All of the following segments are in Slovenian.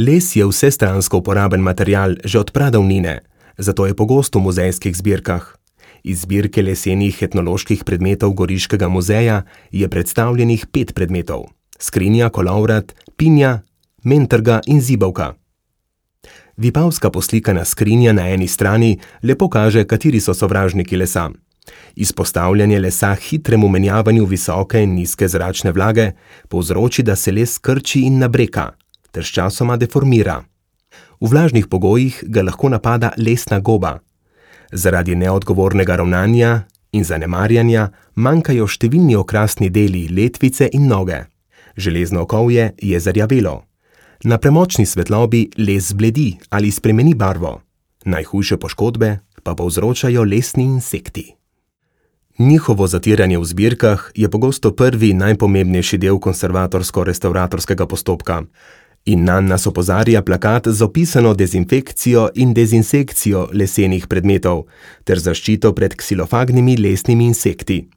Les je vsestransko uporaben material že od pradavnine, zato je pogost v muzejskih zbirkah. Iz zbirke lesenih etnoloških predmetov Goriškega muzeja je predstavljenih 5 predmetov: skrinja, kolovrat, pinja, mentrga in zibelka. Vipavska poslikana skrinja na eni strani lepo kaže, kateri so sovražniki lesa. Izpostavljanje lesa hitremu menjavanju visoke in nizke zračne vlage povzroči, da se les krči in nabreka, ter sčasoma deformira. V vlažnih pogojih ga lahko napada lesna goba. Zaradi neodgovornega ravnanja in zanemarjanja manjkajo številni okrasni deli letvice in noge. Železno okovje je zarjavelo. Na premočni svetlobi les zbledi ali spremeni barvo. Najhujše poškodbe pa povzročajo lesni insekti. Njihovo zatiranje v zbirkah je pogosto prvi najpomembnejši del konservatorsko-restavratorskega postopka in nanj nas opozarja plakat z opisano dezinfekcijo in dezinsekcijo lesenih predmetov ter zaščito pred ksilofagnimi lesnimi insekti.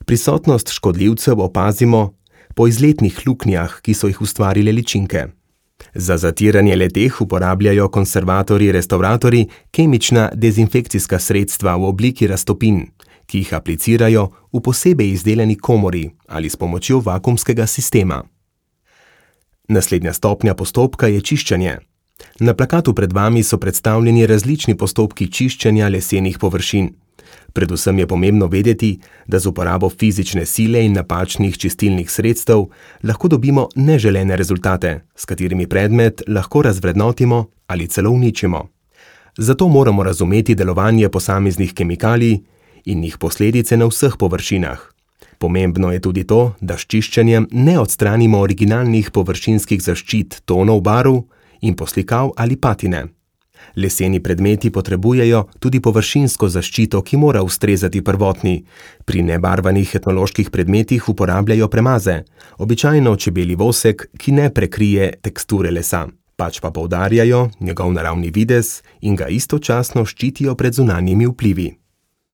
Prisotnost škodljivcev opazimo po izletnih luknjah, ki so jih ustvarile ličinke. Za zatiranje le-teh uporabljajo konservatorji-restavratorji kemična dezinfekcijska sredstva v obliki raztopin, ki jih aplicirajo v posebej izdelani komori ali s pomočjo vakuumskega sistema. Naslednja stopnja postopka je čiščenje. Na plakatu pred vami so predstavljeni različni postopki čiščenja lesenih površin. Predvsem je pomembno vedeti, da z uporabo fizične sile in napačnih čistilnih sredstev lahko dobimo neželene rezultate, s katerimi predmet lahko razvrednotimo ali celo uničimo. Zato moramo razumeti delovanje posameznih kemikalij in njih posledice na vseh površinah. Pomembno je tudi to, da s čiščenjem ne odstranimo originalnih površinskih zaščit tonov barv in poslikav ali patine. Leseni predmeti potrebujejo tudi površinsko zaščito, ki mora ustrezati prvotni. Pri nebarvanih etnoloških predmetih uporabljajo premaze, običajno čebelji vosek, ki ne prekrije teksture lesa, pač pa poudarjajo njegov naravni videz in ga istočasno ščitijo pred zunanjimi vplivi.